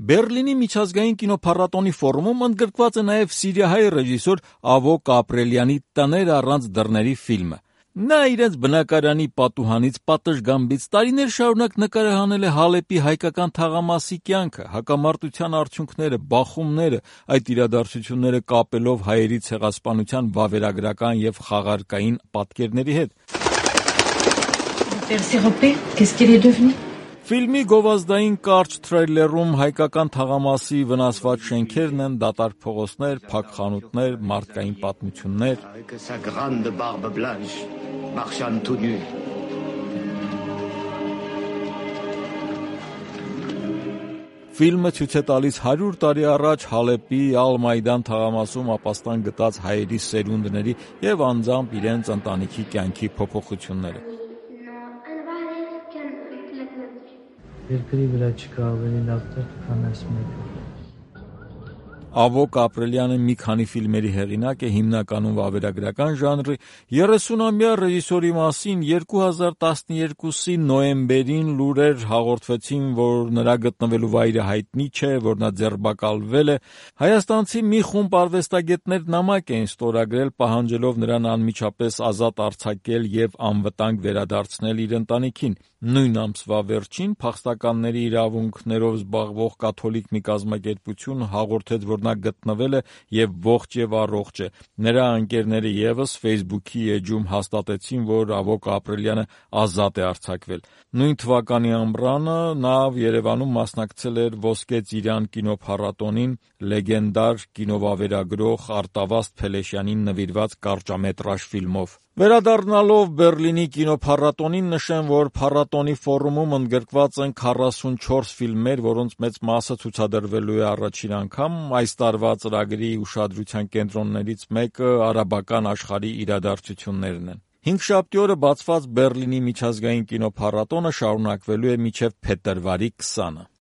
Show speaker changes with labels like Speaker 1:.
Speaker 1: Բեռլինի միջազգային կինոփառատոնի ֆորումում ընդգրկված է նաև սիրիահայ ռեժիսոր Ավոկ Ապրելյանի «Տներ առանց դռների» ֆիլմը։ Նա իրենց բնակարանի պատուհանից պատշգամբից տարիներ շարունակ նկարահանել է Հալեպի հայկական թաղամասի կյանքը, հակամարտության արդյունքները, բախումները, այդ իրադարձությունները կապելով հայերի ցեղասպանության վավերագրական և խաղարկային պատկերների հետ։ Ֆիլմի գովազդային կարճ թրեյլերում հայկական թաղամասի վնասված շենքերն են, դատարկ փողոցներ, փակ խանութներ, մարդկային պատմություններ։ Ֆիլմը ցույց է տալիս 100 տարի առաջ Հալեպի Ալ-Մայդան թաղամասում ապաստան գտած հայերի սերունդների և անձամբ իրենց ընտանիքի կյանքի փոփոխությունները։
Speaker 2: Երկրի վրա չկա ավելի լավ տեղ, քան այս մեկը։
Speaker 1: Ավոկ Ապրելյանը մի քանի ֆիլմերի հեղինակ է, հիմնականում վավերագրական ժանրի։ 30-ամյա ռեժիսորի մասին 2012-ի նոյեմբերին լուրեր հաղորդվեցին, որ նրա գտնվելու վայրը հայտնի չէ, որ նա ձերբակալվել է։ Հայաստանցի մի խումբ արվեստագետներ նամակ էին ստորագրել, պահանջելով նրան անմիջապես ազատ արձակել և անվտանգ վերադարձնել իր ընտանիքին։ Նույն ամսվա վերջին փախստականների իրավունքներով զբաղվող կաթոլիկ մի կազմակերպություն հաղորդեց, որ նա գտնվել է և ողջ և առողջ է։ Նրա ընկերները ևս Facebook-ի էջում հաստատեցին, որ Ավոկ Ապրելյանը ազատ է արձակվել։ Նույն թվականի ամռանը նա Երևանում մասնակցել էր Ոսկե Ծիրան կինոփառատոնին լեգենդար կինովավերագրող Արտավազդ Փելեշյանին նվիրված կարճամետրաժ ֆիլմով։ Վերադառնալով Բեռլինի կինոփառատոնին, նշեմ, որ փառատոնի ֆորումում ընդգրկված են 44 ֆիլմեր, որոնց մեծ մասը ցուցադրվելու է առաջին անգամ։ Այս տարվա ծրագրի ուշադրության կենտրոններից մեկը արաբական աշխարհի իրադարձություններն են։ Հինգշաբթի օրը բացված Բեռլինի միջազգային կինոփառատոնը շարունակվելու է մինչև փետրվարի 20-ը։